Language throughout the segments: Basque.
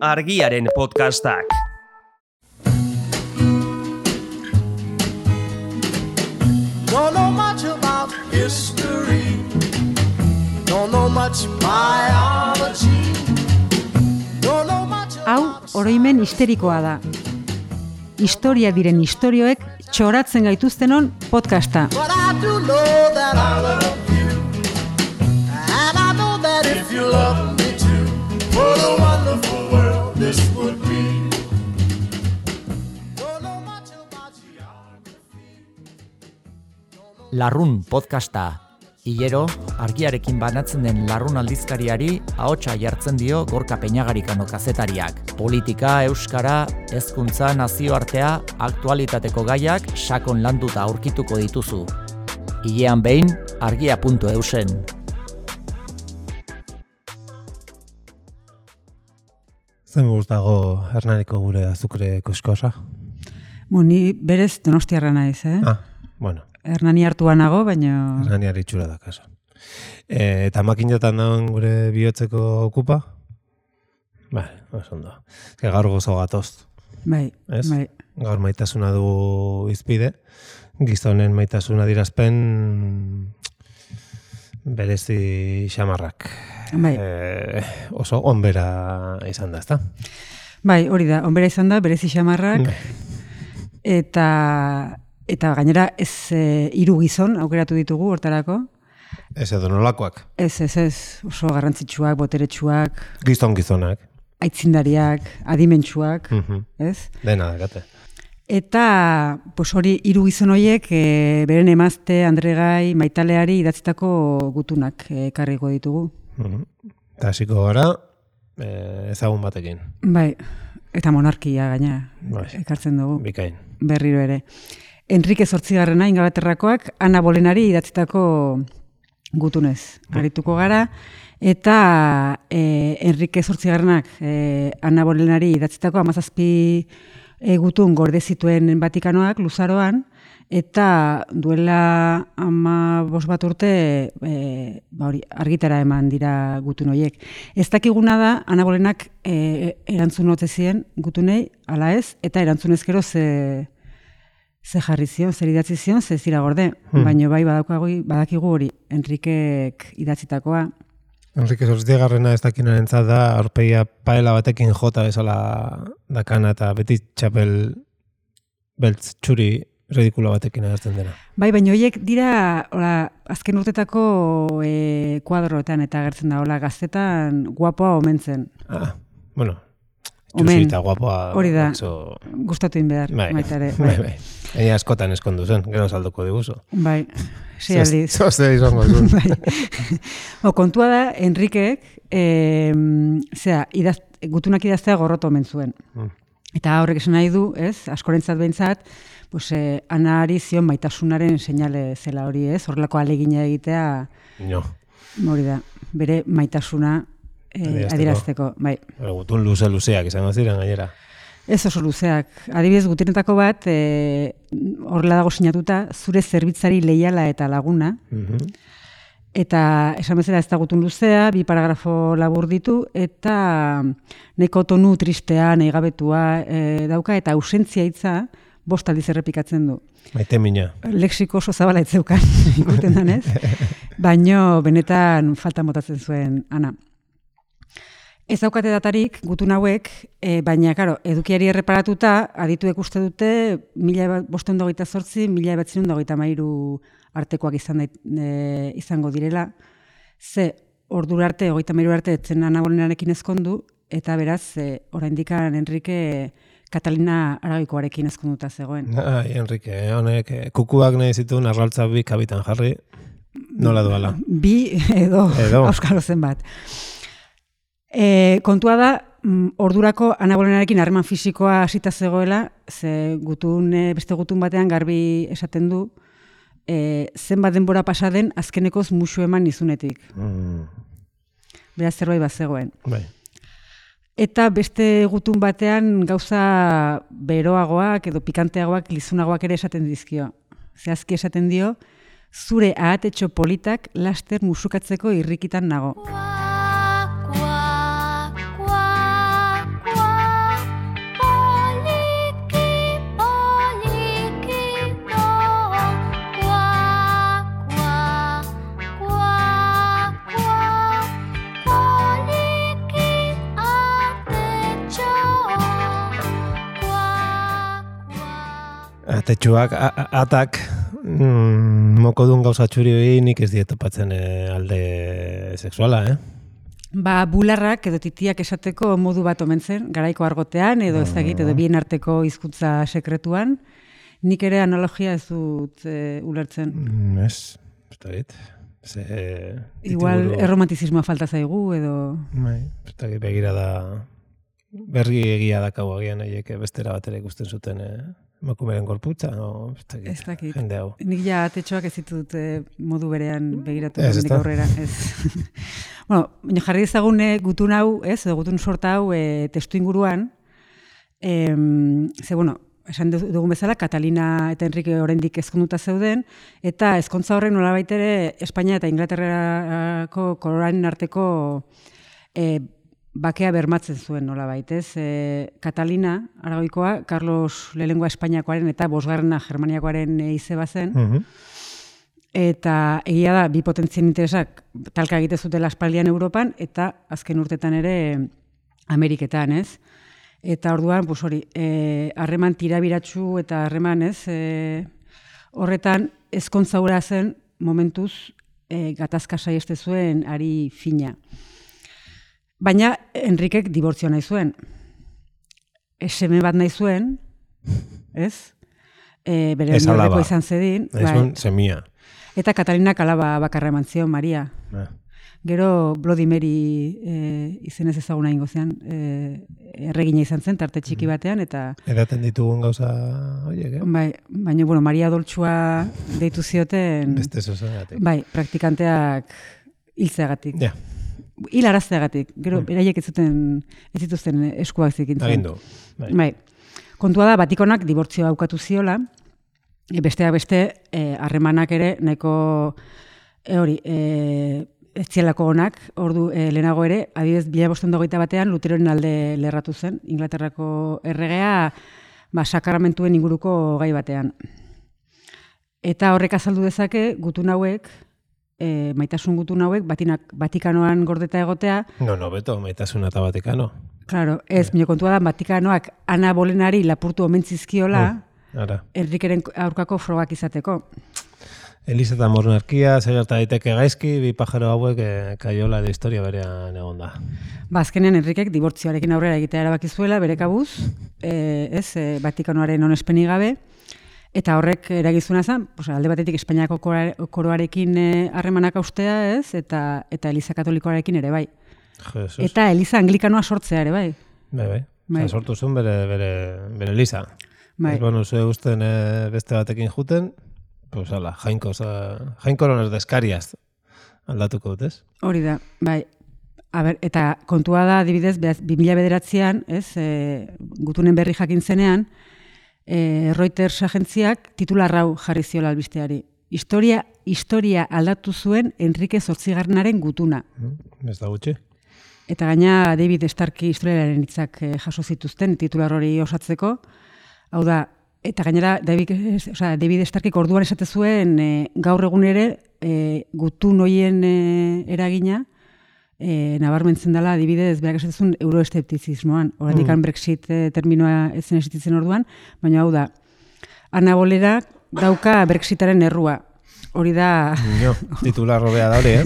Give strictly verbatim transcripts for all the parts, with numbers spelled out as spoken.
Argiaren podcastak. Don't know much about history. Don't know much biology. Don't know much about... Hau, oroimen histerikoa da. Historia diren istorioek txoratzen gaituztenon podcasta. But I do know that I love you. And I know that if you love me too, what a wonderful world this would be. Don't know much about geography. Larrun podcasta. Hilero, argiarekin banatzen den Larrun aldizkariari ahotsa jartzen dio Gorka Peñagarikano kazetariak. Politika, euskara, hezkuntza, nazioartea, aktualitateko gaiak sakon landuta aurkituko dituzu. Hilean behin, argia puntu eusen. Zen gustago Hernaniko gure azukre koskosa? Ni berez Donostiarra naiz, eh? Ah, bueno. Hernani hartua nago, baina... Hernaniari itxura da kaso. E, eta makinatan dauen gure bihotzeko okupa? Bai, oso ondo. Ke gaur gozo gatoz. Bai, Ez? bai. Gaur maitasuna du izpide. Gizonen maitasuna dirazpen berezi xamarrak. Bai. E, oso onbera izan da, ezta? Bai, hori da, onbera izan da, berezi xamarrak. Eta... Eta gainera ez e, hiru gizon aukeratu ditugu hortarako. Ez edo nolakoak. Ez, ez, ez, oso garrantzitsuak, boteretsuak, Gizon gizonak. aitzindariak, adimentsuak, Mhm. ez? Dena dakate. Eta pues hori hiru gizon horiek e, beren emazte, Andregai, Maitaleari idatzitako gutunak e, ekarriko ditugu. Mhm. Eta hasiko gara e, ezagun batekin. Bai, eta monarkia gaina Bai. ekartzen dugu. Bikain. Berriro ere. Enrique zortzigarrena Ingalaterrakoak Ana Bolenari idatzitako gutunez. Arituko gara, eta e, Enrique zortzigarrenak e, Ana Bolenari idatzitako hamazazpi e, gutun gorde zituen Vatikanoak Luzaroan, eta duela hamabost bat urte e, ba hori, argitara eman dira gutun horiek. Ez dakiguna da, Ana Bolenak e, erantzun ote zien gutunei, ala ez, eta erantzunez gero ze... Ze jarri zion, zer idatzi zion, ze zira gorde. Hmm. Baina bai badaukagu, badakigu hori, Enrikek idatzitakoa. Enrique Zortzigarrena ez dakinarentzat da, aurpegia paela batekin jota bezala dakana eta beti txapel beltz txuri ridikulo batekin agertzen dena. Bai, baina horiek dira, hola, azken urtetako e, kuadroetan eta agertzen da, hola, gaztetan guapoa omentzen. Ah, bueno, Omen, txusita guapoa. hori da, Oso... gustatu behar, bai, maitare. Bai, bai. Ega askotan eskondu zen, gero salduko diguzu. Bai, sei aldiz. Zoze izango zuen. Bai. Bo, kontua da, Enrikek, e, zera, idaz, gutunak idaztea gorroto omen zuen. Mm. Eta horrek esan nahi du, ez, askorentzat behintzat, pues, eh, Anari zion maitasunaren seinale zela hori, ez, horrelako alegina egitea, No. hori da, bere maitasuna eh, adierazteko, bai. Gutun luze-luzeak izango ziren gainera. Ez oso luzeak. Adibidez, gutenetako bat, e, horrela dago sinatuta, zure zerbitzari leiala eta laguna. Mhm. Eta esan bezala ez da gutun luzea, bi paragrafo labur ditu, eta nahiko tonu tristea, nahigabetua e, dauka, eta ausentzia hitza bost aldiz errepikatzen du. Maite mina. Lexiko oso zabala etzeukan, ikusten danez, baino benetan falta motatzen zuen Ana. Ez daukate datarik gutun hauek, e, baina, karo, edukiari erreparatuta, adituek uste dute, mila bosteun dagoita zortzi, mila batzinen dagoita mairu artekoak izan dait, e, izango direla. Ze, ordura arte, hogeita mairu arte, etzen Ana Bolenarekin ezkondu, eta beraz, e, oraindikan Enrique Katalina Aragoikoarekin ezkonduta zegoen. Ai, Enrique, honek, kukuak nahi zituen arraltza bi kabitan jarri, nola duala. Bi edo, Edo. auskalo zenbat. E, kontua da, mm, ordurako Ana Bolenarekin harreman fisikoa hasita zegoela, ze gutun, e, beste gutun batean garbi esaten du, e, zenbat denbora pasa den azkenekoz musu eman izunetik. Mm. Beraz zerbait bat zegoen. Bai. Eta beste gutun batean gauza beroagoak edo pikanteagoak, lizunagoak ere esaten dizkio. Zehazki esaten dio, zure ahatetxo politak laster musukatzeko irrikitan nago. Atetxuak, a- a- atak, mm, mokodun gauza txuri hori nik ez dietopatzen e, alde sexuala, eh? Ba, bularrak edo titiak esateko modu bat omen zen, garaiko argotean, edo ez dakit, edo bien arteko hizkuntza sekretuan. Nik ere analogia ez dut e, ulertzen. Mm, ez, ez dakit. Ze, Igual titulu- erromantizismoa falta zaigu, edo... Bai, ez dakit begira da, berri egia dakau agian haiek bestera batera ikusten zuten eh, emakumeren gorputza, o, ez dakit, Ez dakit. jende hau. Nik ja atetxoak ez ditut eh, modu berean begiratu Ez, hemendik ezta? aurrera. Ez. Bueno, baina jarri dezagun eh, gutun hau, ez, edo gutun sorta hau eh, testu inguruan, em, ze, bueno, esan du- dugun bezala, Katalina eta Enrique oraindik ezkonduta zeuden, eta ezkontza horrek nolabait ere Espainia eta Inglaterrako koronaen arteko e, bakea bermatzen zuen nolabait, ez? E, Katalina, Aragoikoa, Carlos lehenengoa Espainiakoaren eta bosgarrena Germaniakoaren e, izeba zen, Mhm. eta egia da, bi potentzien interesak talka egite zutela aspaldian Europan, eta azken urtetan ere Ameriketan, ez? Eta orduan, pues hori, eh, harreman tirabiratsu eta harreman, ez, eh, horretan ezkontza hura zen momentuz eh, gatazka saiheste zuen ari fina. Baina Enrikek dibortzio nahi zuen. E, seme bat nahi zuen, ez? E, bere Ez alaba. horreko izan zedin. Ez bai. un semia. Eta Katalinak alaba bakarra eman zion, Maria. Ah. Gero Bloody Mary e, izenez ezaguna ingo zean, e, erregina izan zen, tarte txiki batean, eta Edaten ditugun gauza horiek, eh? bai, baina, bueno, Maria Doltsua deitu zioten, Beste zozegatik. bai, praktikanteak hiltzeagatik. Ja, Hil arazteagatik. Gero, Mm. beraiek ez zuten, ez zituzten eskuak zikintzen. agindu. Bai. Bai. Kontua da, Batikonak dibortzioa aukatu ziola, e, besteak beste, eh, harremanak ere, nahiko, e, hori, e, ez zielako onak, ordu e, lehenago ere, adibidez, mila bostehun eta hogeita batean Luteroren alde lerratu zen, Inglaterrako erregea, ba, sakramentuen inguruko gai batean. Eta horrek azaldu dezake, gutun hauek, e, maitasun gutun hauek, batinak, Vatikanoan gordeta egotea, No, no, beto, maitasuna eta Vatikano. claro, ez, mino kontua da, Vatikanoak Ana Bolenari lapurtu omentzizkiola, Ara. Enrikeren aurkako frogak izateko. Eliza eta monarkia, zer gerta daiteke gaizki, bi pajaro hauek eh, kaiola de historia berean egon da. Ba, azkenean Enrikek dibortzioarekin aurrera egitea erabaki zuela, bere kabuz, e, ez, e, Vatikanoaren onespenik gabe, eta horrek eragizuna zen, pues, alde batetik Espainiako kora- koroarekin eh, harremanak austea, ez, eta eta Eliza Katolikoarekin ere bai. Jesus. Eta Eliza Anglikanoa sortzea ere bai. Bai, bai. Bai. Osa, sortu zuen bere, bere, bere Eliza. Bai. Ez banu zue usten eh, beste batekin juten, pues ala, jainko, oza, jainkorones deskariaz aldatuko dut, ez? Hori da, bai. A ber, eta kontua da, adibidez, bi mila bederatzian, ez, e, gutunen berri jakin zenean, e, Reuters agentziak titular hau jarri ziola albisteari. Historia, historia aldatu zuen Enrique zortzigarrenaren gutuna. Mm, Ez da gutxi. Eta gaina David Starkey historialaren hitzak e, jaso zituzten titular hori osatzeko. Hau da, eta gainera David, osea, David Starkeyk orduan esate zuen e, gaur egun ere e, gutun hoien e, eragina e, nabarmentzen dela adibidez berak esatezun euroesteptizismoan. Oraindik Mm. Brexit e, terminoa ez zen existitzen orduan, baina hau da, Ana Bolera dauka Brexitaren errua. Hori da, No, titular robea da hori, eh?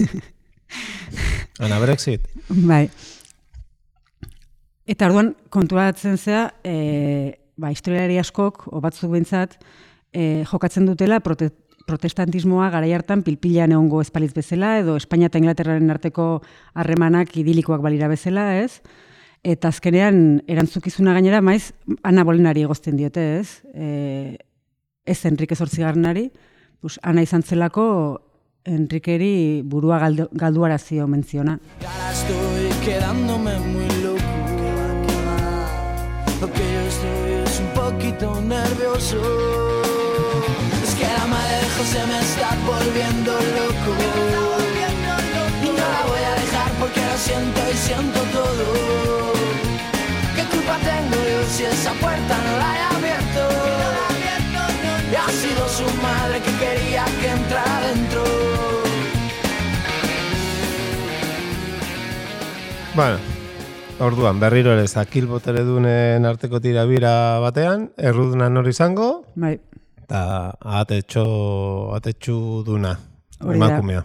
Ana Brexit. bai. Eta orduan konturatzen zea, e, ba, historialari askok, o batzuk behintzat, e, jokatzen dutela prote, protestantismoa garai hartan pilpilean egongo espalitz bezala, edo Espainia eta Inglaterraren arteko harremanak idilikoak balira bezala, ez? Eta azkenean erantzukizuna gainera maiz Ana Bolenari egozten diote, ez? E, ez Enrique zortzigarrenari, pues, Ana izan zelako Enriqueri burua galdu, galduarazio menziona. Ahora estoy quedándome muy loco. Lo que yo estoy es un poquito nervioso. Es que la madre de José me está volviendo loco. Y no la voy a dejar porque lo siento y siento todo. ¿Qué culpa tengo yo si esa puerta no la he abierto? Y ha sido su madre que quería que entrara dentro. Bueno, orduan, berriro ere zakil boteredunen arteko tirabira batean, erruduna nor izango, Bai, Eta ahatetxo, ahatetxu duna, Hori da. emakumea.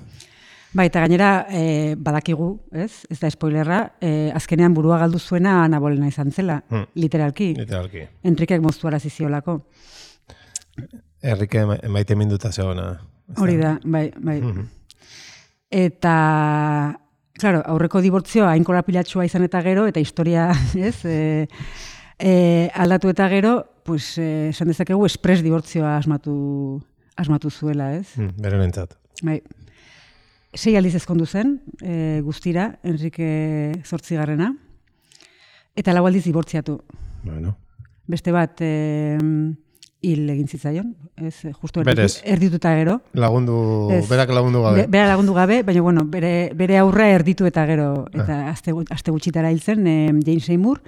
Bai, eta gainera e, badakigu, ez? Ez da spoilerra, e, azkenean burua galdu zuena Ana Bolena izan zela, Hmm. literalki. Literalki. Enrikek moztu araziziolako. Herrike emaite minduta zegoena. Hori da, bai, bai. Mhm. Eta, claro, aurreko dibortzioa hain korapilatxua izan eta gero, eta historia, ez, e, e, aldatu eta gero, pues, e, esan dezakegu, espres dibortzioa asmatu, asmatu zuela, ez? Hmm, bere nentzat. Bai. Sei aldiz ezkondu zen, e, guztira, Enrike zortzigarrena, eta lau aldiz dibortziatu. Bueno. Beste bat e, hil egin zitzaion, ez, justu Berez. erditu, erdituta gero. Lagundu, Ez. berak lagundu gabe. Be, bera lagundu gabe, baina bueno, bere, bere aurra erditu eta gero, eta aste, gu- aste gutxitara hil zen, e, Jane Seymour,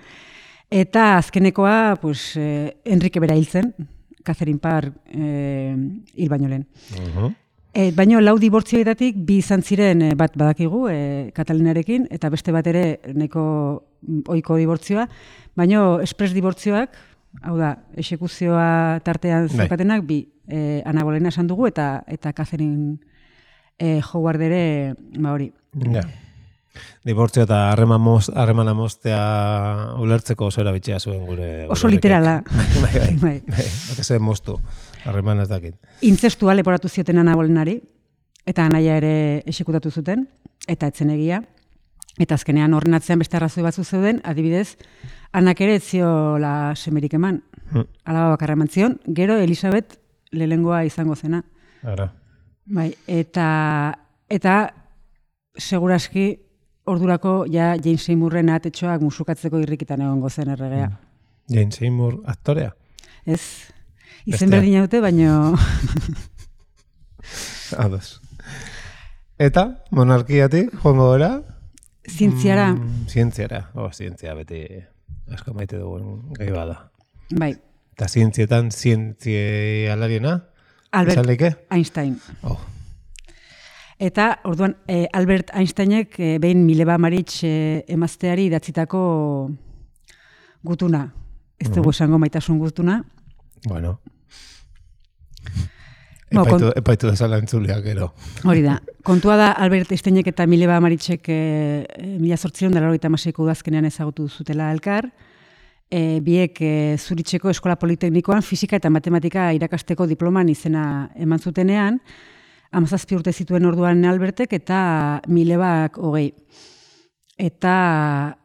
eta azkenekoa, pues, e, Enrique bera hil zen, Catherine Parr e, hil baino lehen. Uh-huh. E, baino lau dibortzioetatik bi izan ziren e, bat badakigu e, Katalinarekin, eta beste bat ere nahiko mm, ohiko dibortzioa, baino espres dibortzioak, hau da, exekuzioa tartean Bai. zeukatenak bi, e, Ana Bolena esan dugu, eta eta Catherine e, Howard ere, ba hori. Ja. Dibortzio eta harreman moz, harremana moztea ulertzeko oso erabiltzea zuen gure... Oso gure literala. Bai, bai. Bai. Bai, bai, moztu. Harreman ez dakit. Intzestua leporatu zioten Ana Bolenari, eta anaia ere exekutatu zuten, eta etzen egia. Eta azkenean horren atzean beste arrazoi batzu zeuden, adibidez, Anak ere ez ziola semerik eman. Hmm. Alaba bakarra eman zion, gero Elisabet lehengoa izango zena. Ara. Bai, eta, eta seguraski ordurako ja Jane Seymourren atetxoak musukatzeko irrikitan egongo zen erregea. Jane Seymour aktorea. Ez, izen Bestea. berdin haute, baino... Ados. Eta, monarkiatik, joango gara? Zientziara, Mm, zientziara. Oh, zientzia beti asko maite dugun gai bada. bai, Eta zientzietan zientzialariena? Albert Izan leike? Einstein. Oh. Eta, orduan, eh, Albert Einsteinek eh, behin Mileva Maric eh, emazteari idatzitako gutuna. Ez dugu esango maitasun gutuna. Bueno. Bo, Epaitu, kon- epaitu dezala entzuleak gero. Hori da. Kontua da Albert Einsteinek eta Mileva Maricek eh, mila zortziehun eta laurogeita hamaseiko udazkenean ezagutu zutela elkar. E, biek e, Zuritzeko Eskola Politeknikoan fisika eta matematika irakasteko diploman izena eman zutenean, hamazazpi urte zituen orduan Albertek eta Milebak hogei. Eta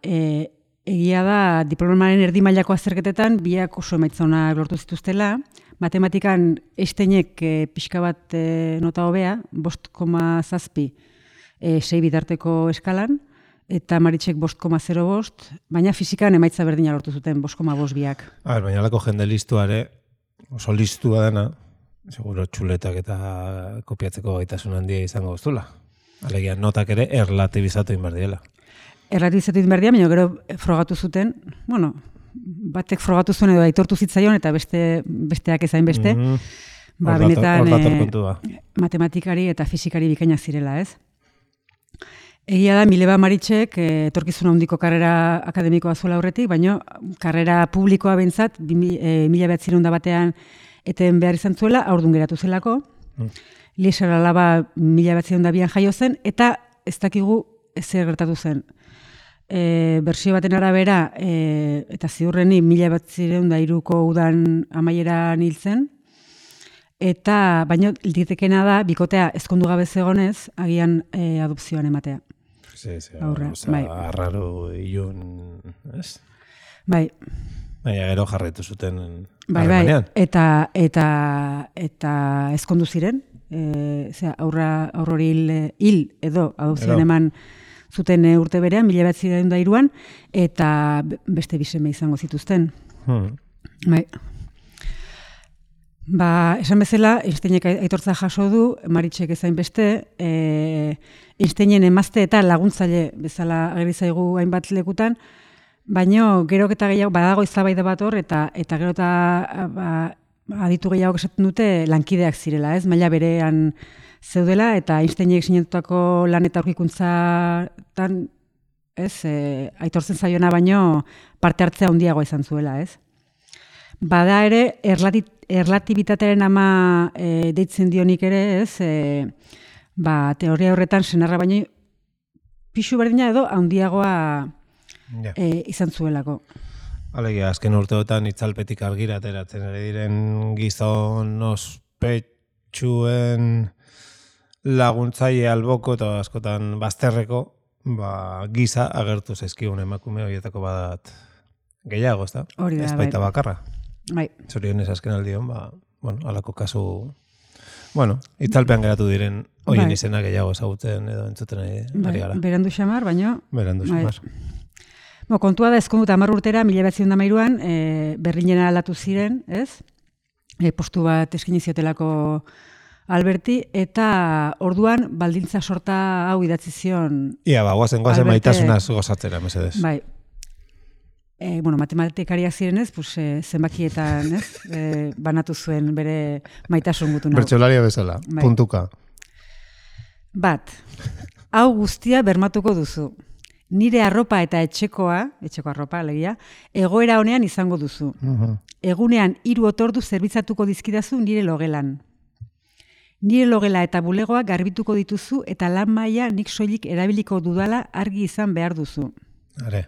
e, egia da diplomaren erdi mailako azterketetan biak oso emaitza onak lortu zituztela. Matematikan Einsteinek e, pixka bat e, nota hobea, bost koma zazpi e, sei bitarteko eskalan, eta Maritxek bost koma zero bost, baina fizikan emaitza berdina lortu zuten, bost koma bost biak. A ber, baina alako jende listuare, oso listua dena, seguro txuletak eta kopiatzeko gaitasun handia izango goztula. Alegia, notak ere erlatibizatu inbar diela. Erratizatu egin behar dira, baina gero frogatu zuten, bueno, batek frogatu zuen edo aitortu zitzaion, eta beste besteak ezain beste, Mhm. ba, Hor dator- benetan hor dator eh, kontua. matematikari eta fizikari bikainak zirela, ez? Egia da, Mileva Maritzek eh, etorkizuna handiko karrera akademikoa zuela aurretik, baina karrera publikoa bentsat, e, mila behatzireun da batean eten behar izan zuela, aurdun geratu zelako. Mm. Lieser alaba mila behatzireun da bian jaio zen, eta ez dakigu ezer gertatu zen. E, bersio baten arabera, e, eta ziurreni mila behatzireun da iruko udan amaieran hil zen, eta baino litekena da, bikotea ezkondu gabe zegonez, agian e, adopzioan ematea. Sí, sí, Aurra, oza, bai. arraro ilun, ez? Bai, Baina gero jarraitu zuten bai, bai, harremanean. eta, eta, eta ezkondu ziren, e, zera, aurra, aurrori hil, hil edo adopzioan Edo. eman zuten e, urte berean, mila behatzireun da hiruan, eta be- beste biseme izango zituzten. Hmm. Bai. Ba, esan bezala, Einsteinek aitortza jaso du, Maritxek ezain beste, e, Einsteinen emazte eta laguntzaile bezala ageri zaigu hainbat lekutan, baino gero eta gehiago badago eztabaida bat hor, eta eta gero eta ba, aditu gehiago esaten dute lankideak zirela, ez? Maila berean zeudela, eta Einsteinek sinatutako lan eta aurkikuntzatan, ez, e, aitortzen zaiona baino parte hartzea handiagoa izan zuela, ez? Bada ere, erlati, erlatibitatearen ama e, deitzen dionik ere, ez, e, ba, teoria horretan senarra baino pixu berdina edo handiagoa Ja. e, izan zuelako. Alegia, azken urteotan itzalpetik argira ateratzen ere diren gizon ospetsuen laguntzaile alboko eta askotan bazterreko, ba, giza agertu zaizkigun emakume horietako badat gehiago, ez da? Hori da, ez baita bai. bakarra. Bai, Zorionez azken aldion, ba, bueno, alako kasu, bueno, itzalpean geratu diren hoien Bai. izena gehiago ezagutzen edo entzuten ari, bai, ari gara. berandu xamar, baino... Berandu bai. xamar. Bo, kontua da, ezkondut hamar urtera, mila behatziehun eta hamairuan, e, Berlinera aldatu ziren, ez? E, postu bat eskaini ziotelako Alberti, eta orduan baldintza sorta hau idatzi zion. Ia, ba, guazen, guazen Alberte- maitasunaz gozatzera, mesedez. Bai. E, bueno, matematikariak zirenez, pues, e, zenbakietan, ez? E, banatu zuen bere maitasun gutun hau. Bertxolaria bezala, Bai. puntuka. Bat, hau guztia bermatuko duzu. Nire arropa eta etxekoa, etxeko arropa, alegia, egoera honean izango duzu. Uh-huh. Egunean hiru otordu zerbitzatuko dizkidazu nire logelan. Nire logela eta bulegoa garbituko dituzu eta lan maila nik soilik erabiliko dudala argi izan behar duzu. Are.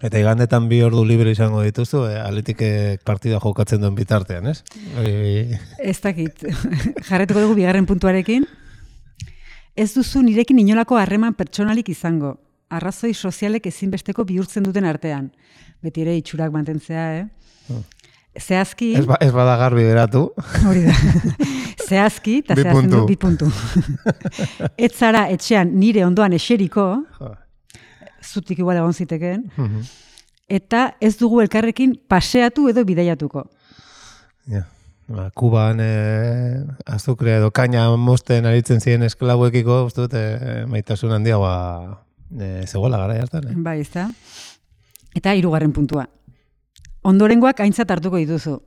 Eta igandetan bi ordu libre izango dituzu, eh, Atletikek partida jokatzen duen bitartean, ez? Hori... Ez dakit, jarretuko dugu bigarren puntuarekin. Ez duzu nirekin inolako harreman pertsonalik izango. Arrazoi sozialek ezinbesteko bihurtzen duten artean. Beti ere itxurak mantentzea, eh? Zehazki... Ez, ba, ez bada garbi geratu. Hori da. Zehazki, eta Bi zehazten du puntu. bi puntu. Ez zara etxean nire ondoan eseriko, Jo. zutik igual egon zitekeen, Mhm. eta ez dugu elkarrekin paseatu edo bidaiatuko. Ja. Ba, Kuban eh, azukre edo kaina mosten aritzen ziren esklauekiko, uste dut, eh, maitasun handiagoa eh, zegoela gara hartan. Eh? Bai, ez da. Eta hirugarren puntua. Ondorengoak aintzat hartuko dituzu.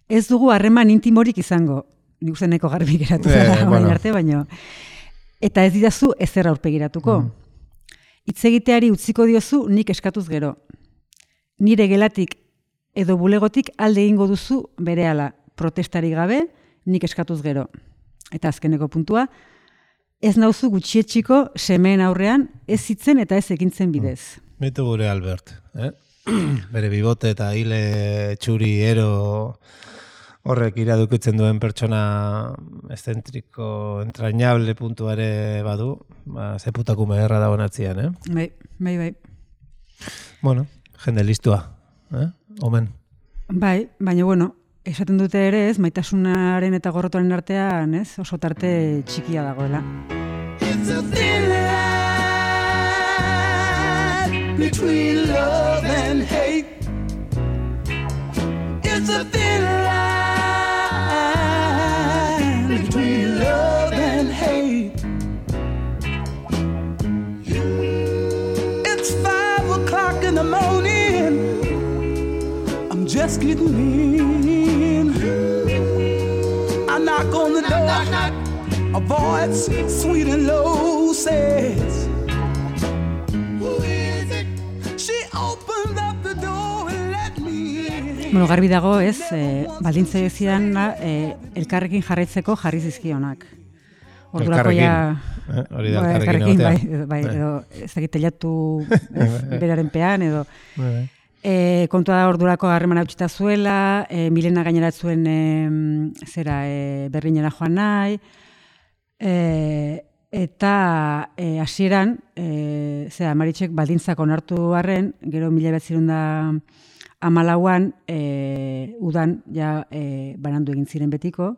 Ez dugu harreman intimorik izango. Nik uste neko garbi geratu Eh, zara orain bueno. arte, baino. Eta ez didazu ezer aurpegiratuko. Mm. Hitz egiteari utziko diozu nik eskatuz gero. Nire gelatik edo bulegotik alde egingo duzu berehala, protestari gabe, nik eskatuz gero. Eta azkeneko puntua, ez nauzu gutxietxiko semeen aurrean ez hitzen eta ez ekintzen bidez. Mitu gure Albert, eh? Bere bibote eta hile txuri ero horrek iradukitzen duen pertsona eszentriko, entrañable puntuare badu, ba, zeputakume erra dago natzian, eh? Bai, bai, bai. Bueno, jende listua, eh? Omen. Bai, baina bueno, esaten dute ere ez, maitasunaren eta gorrotoaren artean, ez, oso tarte txikia dagoela. It's a thin line between love and hate. It's a thin line between love and hate. It's five o'clock in the morning. I'm just getting in. I knock on the door. A voice sweet and low says, "Who is it?" She opened up the door and let me in. Bueno, garbi dago, ez, e, baldintza zidan e, elkarrekin jarraitzeko jarri zizkionak. Ordurako ja... Eh? Hori da Bai, elkarrekin bai, egotea. edo, bai, Eh. edo ez dakit telatu ez, beraren pean, edo... Bai, bai. E, kontua da ordurako harreman hautsita zuela, e, Milena gaineratzuen e, zera e, Berlinera joan nahi, e, eta e, hasieran e, zera, Maritxek baldintzak onartu arren, gero mila behatzirun da hamalauan e, udan ja e, banandu egin ziren betiko,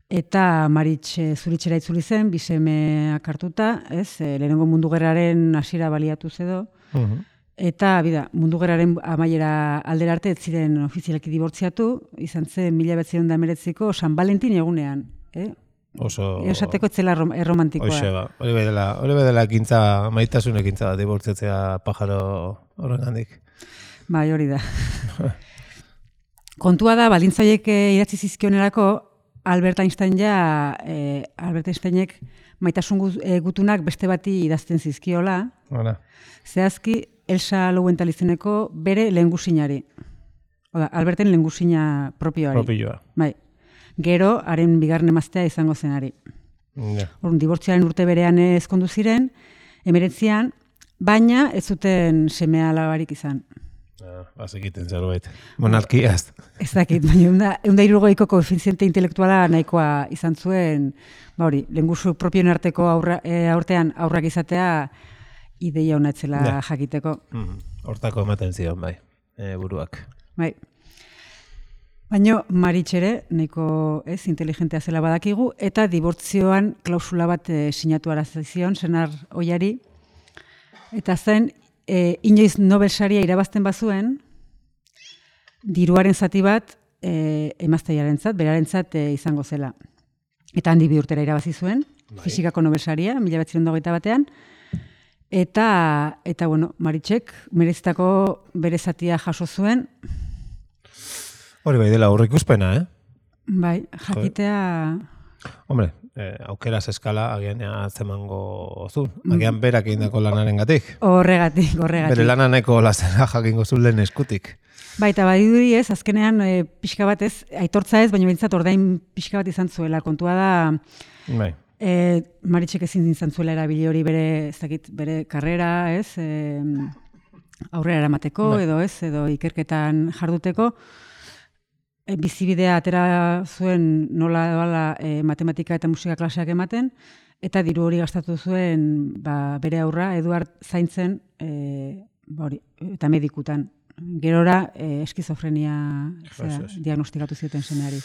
eta Maritx e, Zuritxera itzuli zen, bisemeak hartuta, ez, e, lehenengo mundu gerraren hasiera baliatu edo, Mhm. eta bida, mundu gerraren amaiera aldera arte ez ziren ofizialki dibortziatu, izan zen mila behatzirun da emeretziko San Valentin egunean. Eh? Oso... Esateko etzela rom- erromantikoa. Hoxe ba, hori bai dela, hori bai dela ekintza, maitasun ekintza bat, dibortziatzea pajaro horrengandik. Bai, hori da. Kontua da, baldintzaiek eh, idatzi zizkionerako, Albert Einstein ja, eh, Albert Einsteinek maitasun gu- eh, gutunak beste bati idazten zizkiola, Hala. zehazki Elsa Lowenthal izeneko bere lehengusinari. Oda, Alberten lengusina propioari. Propioa. Bai. Gero, haren bigarren emaztea izango zenari. Ja. Orduan, dibortzioaren urte berean ezkondu ziren, emeretzian, baina ez zuten semea alabarik izan. Ah, bazekiten zerbait. Monarkiaz. Ez dakit, baina eunda irurogeiko koefiziente intelektuala nahikoa izan zuen, ba hori, lengusu propioen arteko aurra, e, aurtean aurrak izatea ideia hona etzela Ja. jakiteko. Mm, hortako ematen zion, bai, e, buruak. Bai. Baina Maritxere, nahiko ez, inteligentea zela badakigu, eta dibortzioan klausula bat e, sinatu arazizion, senar oiari, eta zen, e, inoiz Nobel saria irabazten bazuen, diruaren zati bat e, emazteiarentzat, berarentzat e, izango zela. Eta handi bi urtera irabazi zuen, Bai. fisikako Nobel saria, mila bederatziehun eta hogeita batean, eta, eta bueno, Maritxek merezitako bere zatia jaso zuen, Hori bai dela aurreikuspena, eh? bai, jakitea... Hombre, eh, aukeraz eskala agian atzemango zu. Agian berak egindako lanaren gatik. Horregatik, horregatik. Bere lana nahiko lazera jakingo zu lehen eskutik. Baita badiduri ez, azkenean e, pixka bat ez, aitortza ez, baina bintzat ordain pixka bat izan zuela. Kontua da, Bai. e, Maritxek ezin izan zuela erabili hori bere, ez dakit, bere karrera, ez, e, aurrera eramateko, Bai. edo ez, edo ikerketan jarduteko. E, bizibidea atera zuen nola doala e, matematika eta musika klaseak ematen, eta diru hori gastatu zuen ba, bere aurra, Eduard zaintzen, e, ba hori, eta medikutan. Gerora eh, eskizofrenia zera, Eso es. diagnostikatu zioten semeari.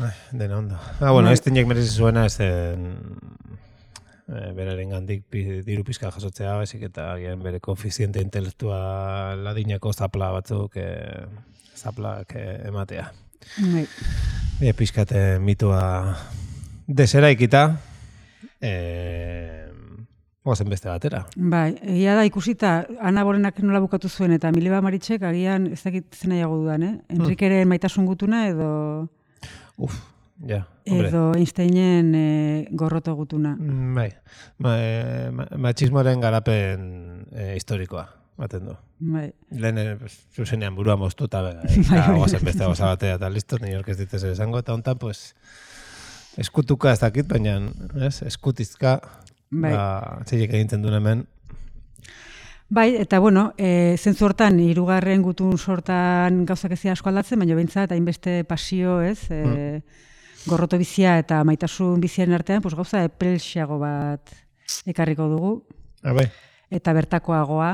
Ai, dena ondo. Ah, bueno, Bai. ez tinek merezi zuena ez zen e, beraren gandik pi, diru pizka jasotzea, baizik eta agian bere koefiziente intelektua ladinako zapla batzuk e, zaplak e, ematea. Bai. E, pizkate mitua deseraikita, e, oazen beste batera. Bai, egia da ikusita Ana Bolenak nola bukatu zuen eta Mileba Maritxek agian ez dakit zen nahiago dudan, eh? Enrikeren maitasun gutuna edo Uf, ja, hombre. edo Einsteinen e, gorroto gutuna. Mm, Bai, ma, e, ma, matxismoaren garapen e, historikoa, baten du. Bai. Lehen, eh, zuzenean burua moztuta, bera, Bai, bai, eta bai. oazen beste gauza batea eta listo, ni orkez ditez esango, eta hontan, pues, eskutuka ez dakit, baina, ez, eskutizka, Bai. ba, txilek egintzen duen hemen, Bai, eta bueno, e, zentzu hortan, hirugarren gutun sortan gauzak ez dira asko aldatzen, baina behintzat, hainbeste pasio, ez, e, gorroto bizia eta maitasun biziaren artean, pues, gauza epelxeago bat ekarriko dugu, ah, bai, eta bertakoagoa,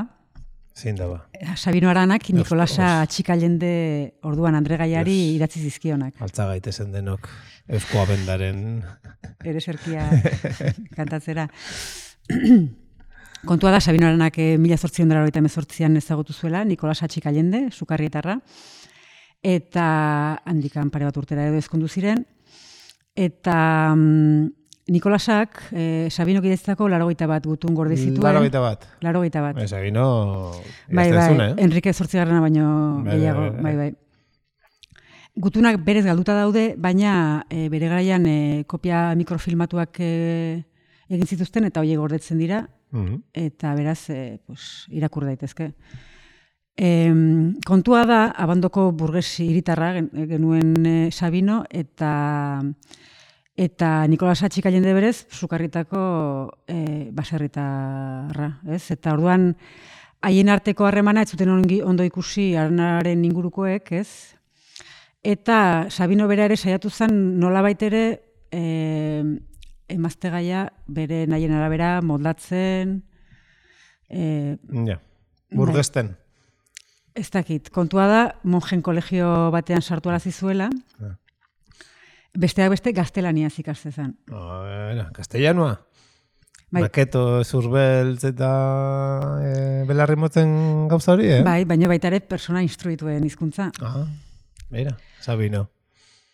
zein da ba. Sabino Aranak Nikolasa Ostras. atxikalende orduan Andre Gaiari Yes. idatzi zizkionak. Altza gaitezen denok eusko abendaren, Ere serkia kantatzera. Kontua da, Sabino Aranak eh, mila zortziehun eta laurogeita hemezortzian ezagutu zuela, Nikolasa atxikalende, sukarrietarra, eta handikan pare bat urtera edo ezkondu ziren, eta mm, Nikolasak eh, Sabinok idatzitako laurogeita bat gutun gorde zituen. laurogeita bat. laurogeita bat. Ez, egino, Bai, bai, zune, eh? Enrique zortzigarrena baino Bai, gehiago, bai, bai, bai. bai. Gutunak berez galduta daude, baina e, bere garaian e, kopia mikrofilmatuak e, egin zituzten eta horiek gordetzen dira, Mhm. eta beraz, e, pues, irakur daitezke. E, kontua da, abandoko burges hiritarra gen- genuen e, Sabino, eta eta Nikolas atxikalende berez, sukarritako e, baserritarra, ez? Eta orduan, haien arteko harremana ez zuten ongi- ondo ikusi Aranaren ingurukoek, ez? Eta Sabino bera ere saiatu zen nolabait ere e, emaztegaia bere nahien arabera moldatzen, e, Ja, burgesten. ez dakit, kontua da, monjen kolegio batean sartu arazi zuela, Ah. besteak beste gaztelaniaz ikastezan. Oh, era, castellanoa. Bai. Maketo, zurbeltz eta e, belarri motzen gauza hori, eh? Bai, baina baita ere persona instruituen hizkuntza. Aha, beira, Sabino.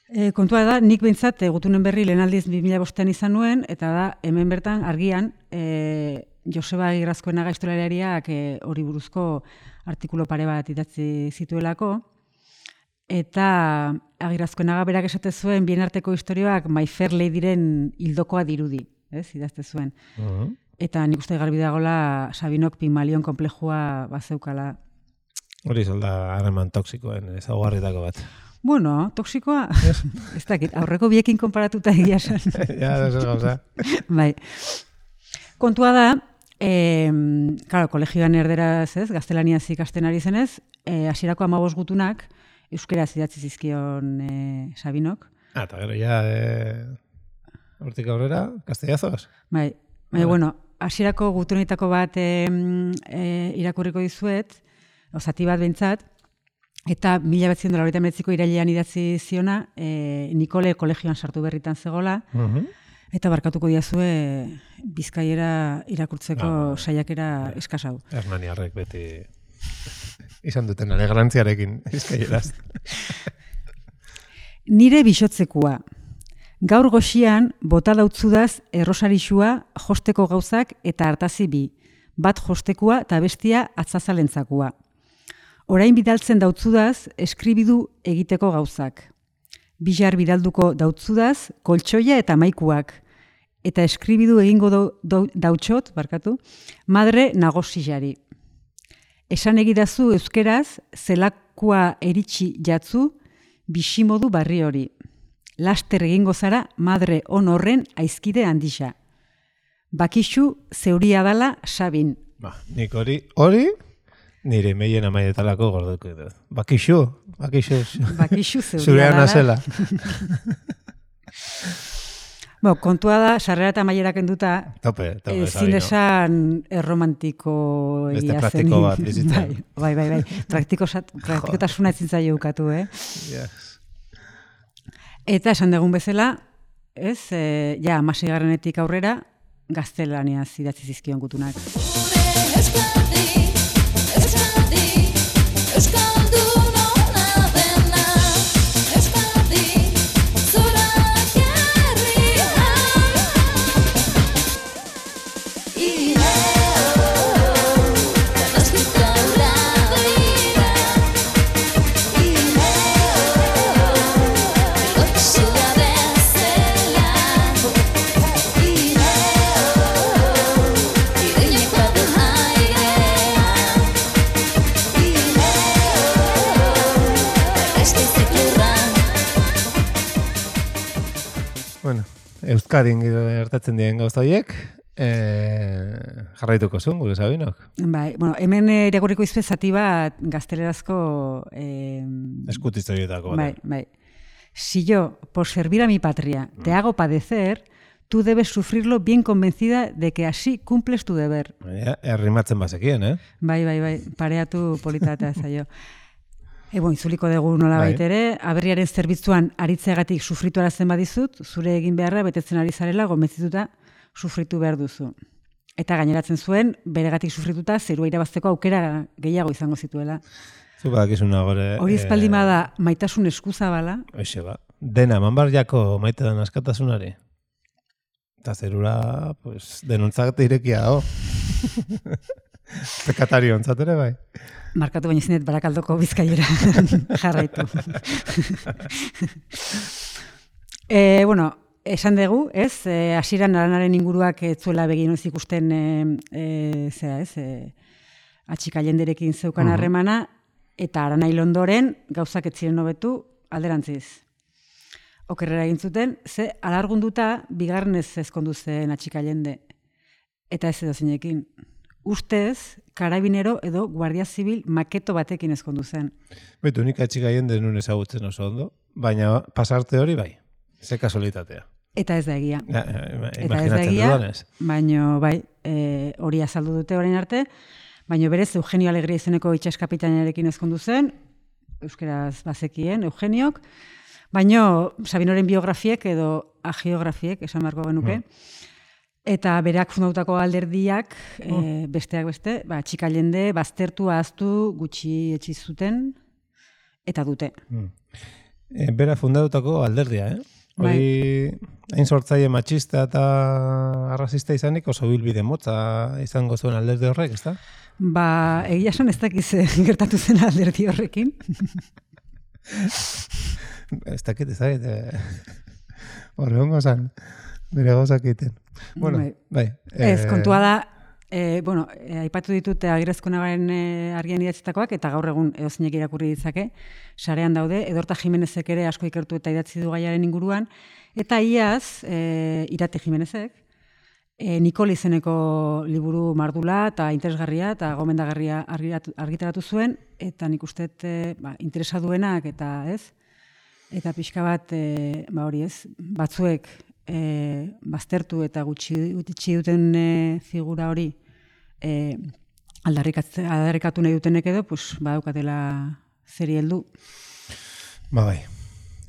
E, kontua da, nik behintzat e, gutunen berri lehen aldiz bi mila bostean izan nuen, eta da, hemen bertan argian, e, Joseba Agirrazkoena gaiztolariak e, hori buruzko artikulu pare bat idatzi zituelako, eta Agirrazkoenaga berak esate zuen bien arteko historioak My Fair Ladyren hildokoa dirudi, ez, idazte zuen. Uh-huh. Eta nik uste garbi dagoela Sabinok Pigmalion konplejua bazeukala. Hori zolda harreman toksikoen ezaugarritako bat. Bueno, toksikoa, ez dakit, aurreko biekin konparatuta egia esan. Ja, ez ez gauza. Bai. Kontua da, eh, claro, kolegioan erderaz, ez, gaztelaniaz ikasten ari zenez, eh, hasierako hamabost gutunak euskeraz idatzi zizkion eh, Sabinok. Ah, eta gero ja, eh, hortik aurrera, castellazoz. Bai, bai, bueno, hasierako gutunetako bat eh, eh, irakurriko dizuet, osati bat behintzat, eta mila behatzen dola horretan betziko irailean idatzi ziona, e, Nikole kolegioan sartu berritan zegola, Uh-huh. eta barkatuko diazue Bizkaiera irakurtzeko Ah, saiakera eskasau. Hernaniarrek beti izan duten alegrantziarekin bizkaieraz. Nire bixotzekua. Gaur goxian bota dautzudaz errosarixua josteko gauzak eta hartazi bi. Bat jostekua eta bestia atzazalentzakua. Orain bidaltzen dautzudaz eskribidu egiteko gauzak. Bilar bidalduko dautzudaz koltsoia eta maikuak. Eta eskribidu egingo dau, dau, dautxot, barkatu, madre nagosijari. Esan egidazu euskeraz zelakua eritxi jatzu bisimodu barri hori. Laster egingo zara madre on horren aizkide handisa. Bakixu zeuria dala Sabin. Ba, nik hori, hori, nire meien amaietalako gorduko dut. Bakixu, bakixu, Bakixu zeuria zurean dala. azela. Bo, kontua da, sarrera eta maiera kenduta, Tope, tope, ezin Sabino. esan erromantiko Beste egia zen. praktiko bat bizitzen. Bai, bai, bai, bai. Praktiko, praktikotasuna ezin zaio ukatu, eh? Yes. Eta esan dugun bezala, ez, e, ja, amaseigarrenetik aurrera, gaztelaniaz idatzi zizkion gutunak. Bueno, Euskadin gertatzen diren gauza horiek, eh, jarraituko zuen, gure Sabinok. Bai, bueno, hemen irakurriko izpe zati bat gaztelerazko... Eh, Eskutiztoietako. bai, bai. Si yo, por servir a mi patria, te hago padecer, tú debes sufrirlo bien convencida de que así cumples tu deber. Ja, errimatzen bazekien, eh? Bai, bai, bai, pareatu politatea zaio. Ebo, itzuliko dugu nola Bai. baitere, aberriaren zerbitzuan aritzeagatik sufritu arazten badizut, zure egin beharra betetzen ari zarela gomezituta sufritu behar duzu. Eta gaineratzen zuen, beregatik sufrituta zerua irabazteko aukera gehiago izango zituela. Zu badakizuna gore... Hori espaldima da maitasun eskuzabala, Hoxe ba. Dena, manbar jako maite den askatasunari. Eta zerura, pues, denuntzak irekia dago. Pekatario ontzat ere bai. markatu baina zinet Barakaldoko Bizkaiera jarraitu. e, bueno, esan dugu, ez, e, hasieran aranaren inguruak ez zuela begin ez ikusten e, e, zera, ez, e, atxikalenderekin zeukan harremana, eta aranai ondoren gauzak ez ziren hobetu alderantziz. Okerrera egin zuten, ze alargunduta bigarrenez ezkondu zen atxikalende. Eta ez edo zinekin. Ustez, karabinero edo guardia zibil maketo batekin ezkondu zen. Betu, nik atxikaien denun ezagutzen oso ondo, baina pasarte hori bai, ze kasualitatea. Eta ez da egia. Ja, ja, Eta ez da imaginatzen egia, dudanez. baina bai, e, hori azaldu dute orain arte, baina berez Eugenio Alegria izeneko itxas kapitainarekin ezkondu zen, euskeraz bazekien, Eugeniok, baina Sabinoren biografiek edo agiografiek, esan beharko genuke, eta berak fundautako alderdiak, e, besteak beste, ba, txikalende, baztertu, ahaztu, gutxi etxi zuten, eta dute. E, bera fundatutako alderdia, eh? Hori, hain sortzaile matxista eta arrazista izanik oso bilbide motza izango zuen alderdi horrek, ezta? Ba, egia esan ez dakiz gertatu zen alderdi horrekin. Ez dakit, ez dakit. Horre hongo zan, bere gauzak egiten. Bueno, Bai. bai. Ez, kontua da, E, bueno, e, aipatu ditut Agirrezko Nagaren e, argian idatzitakoak, eta gaur egun edozinek irakurri ditzake, sarean daude, Edorta Jimenezek ere asko ikertu eta idatzi du gaiaren inguruan, eta iaz, e, Irate Jimenezek, e, Nikol izeneko liburu mardula eta interesgarria eta gomendagarria argitaratu zuen, eta nik uste e, ba, interesa duenak eta ez, eta pixka bat, e, ba hori ez, batzuek e, baztertu eta gutxi, gutxi duten e, figura hori e, aldarrikatu nahi dutenek edo, pues, badaukatela zeri heldu. Ba bai,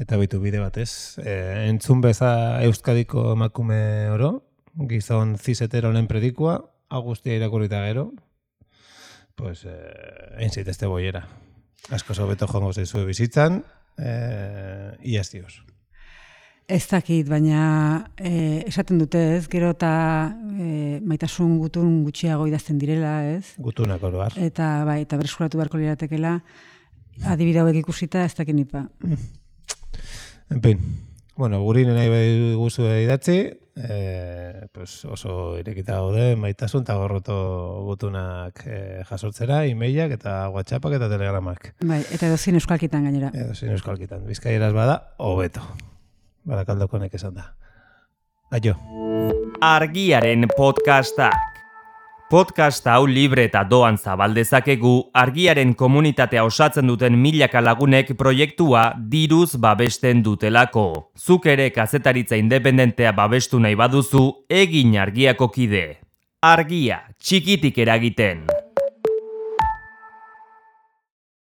eta bitu bide batez. E, entzun beza Euskadiko emakume oro, gizon ziseteronen predikua, agustia irakurrita gero, pues, eh, egin zaitezte boiera. Asko hobeto joango zaizue bizitzan, eh, iaz dioz. Ez dakit, baina e, esaten dute, ez? Gero eta e, maitasun gutun gutxiago idazten direla, ez? Gutunak oroar. Eta bai, eta bereskuratu beharko liratekela, adibide hauek ikusita ez dakit nipa. En fin, bueno, guri nahi bai guzu idatzi, e, pues oso irekita gaude maitasun eta gorroto gutunak e, jasotzera, e-mailak eta WhatsAppak eta telegramak. Bai, eta edozin euskalkitan gainera. Edozin euskalkitan. Bizkaieraz bada, hobeto. Barakaldokonek esan da. Aio. Argiaren podcastak. Podcast hau libre eta doan zabaldezakegu argiaren komunitatea osatzen duten milaka lagunek proiektua diruz babesten dutelako. Zuk ere kazetaritza independentea babestu nahi baduzu, egin argiako kide. Argia, txikitik eragiten.